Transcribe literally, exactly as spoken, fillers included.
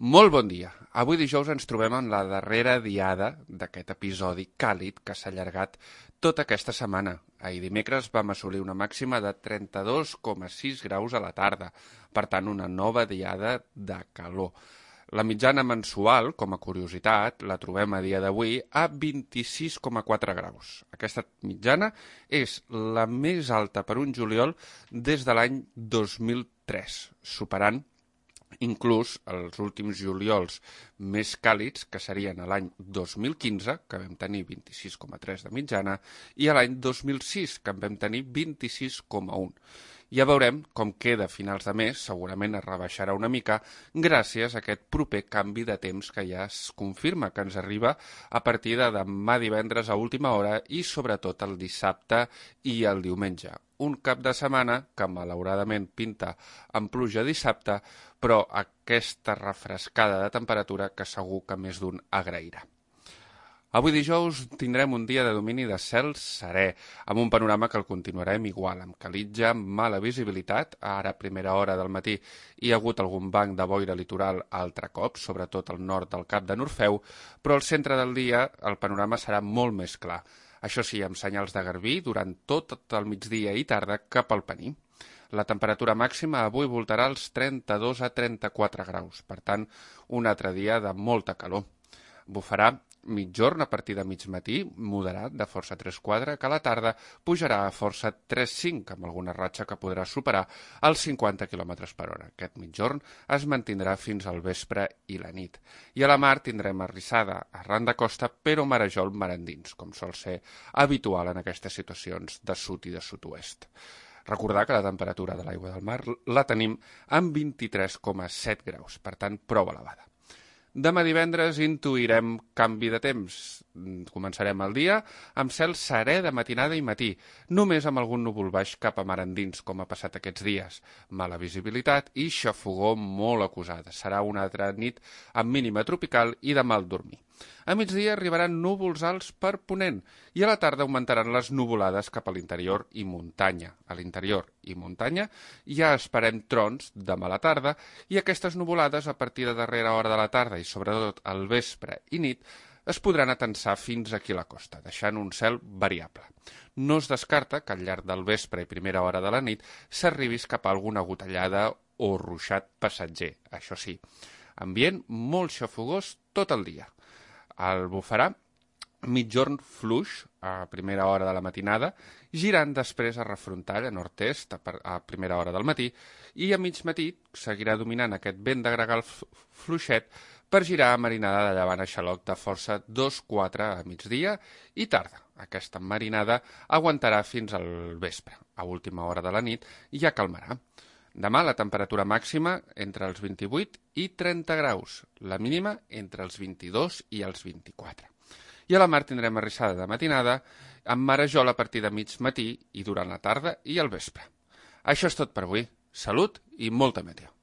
Molt bon dia. Avui dijous ens trobem en la darrera diada d'aquest episodi càlid que s'ha allargat tota aquesta setmana. Ahir dimecres vam assolir una màxima de trenta-dos coma sis graus a la tarda, per tant una nova diada de calor. La mitjana mensual, com a curiositat, la trobem a dia d'avui a vint-i-sis coma quatre graus. Aquesta mitjana és la més alta per un juliol des de l'any dos mil tres, superant inclús els últims juliols més càlids, que serien l'any dos mil quinze, que vam tenir vint-i-sis coma tres de mitjana, i l'any dos mil sis, que en vam tenir vint-i-sis coma un. Ja veurem com queda a finals de mes, segurament es rebaixarà una mica, gràcies a aquest proper canvi de temps que ja es confirma que ens arriba a partir de demà divendres a última hora i sobretot el dissabte i el diumenge. Un cap de setmana que malauradament pinta amb pluja dissabte, però aquesta refrescada de temperatura que segur que més d'un agrairà. Avui dijous tindrem un dia de domini de cel serè, amb un panorama que el continuarem igual, amb calitja, mala visibilitat, ara a primera hora del matí hi ha hagut algun banc de boira litoral altre cop, sobretot al nord del Cap de Norfeu, però al centre del dia el panorama serà molt més clar. Això sí, amb senyals de garbí durant tot el migdia i tarda cap al Pení. La temperatura màxima avui voltarà als trenta-dos a trenta-quatre graus, per tant, un altre dia de molta calor. Bufarà mitjorn a partir de mig matí, moderat de força tres quatre, que a la tarda pujarà a força tres cinc, amb alguna ratxa que podrà superar els cinquanta quilòmetres per hora. Aquest mitjorn es mantindrà fins al vespre i la nit. I a la mar tindrem arrissada arran de costa, però marejol mar endins, com sol ser habitual en aquestes situacions de sud i de sud-oest. Recordar que la temperatura de l'aigua del mar la tenim amb vint-i-tres coma set graus, per tant, prou elevada. Demà divendres intuirem canvi de temps. Començarem el dia amb cel serè de matinada i matí, només amb algun núvol baix cap a mar endins, com ha passat aquests dies. Mala visibilitat i xafogor molt acusada. Serà una altra nit amb mínima tropical i de mal dormir. A migdia arribaran núvols alts per ponent i a la tarda augmentaran les nuvolades cap a l'interior i muntanya. A l'interior i muntanya ja esperem trons demà a la tarda i aquestes nuvolades a partir de darrera hora de la tarda i sobretot al vespre i nit es podran atensar fins aquí a la costa, deixant un cel variable. No es descarta que al llarg del vespre i primera hora de la nit s'arribis cap a alguna gotellada o ruixat passatger, això sí. Ambient molt xafogós tot el dia. El bufarà mitjorn fluix a primera hora de la matinada, girant després a refrontar a nord-est a primera hora del matí i a mig matí seguirà dominant aquest vent de gregal fluixet per girar a marinada de llevant a xaloc de força dos quatre a migdia i tarda. Aquesta marinada aguantarà fins al vespre. A última hora de la nit ja calmarà. Demà la temperatura màxima entre els vint-i-vuit i trenta graus, la mínima entre els vint-i-dos i els vint-i-quatre. I a la mar tindrem arrissada de matinada amb marejol a partir de mig matí i durant la tarda i el vespre. Això és tot per avui. Salut i molta meteo.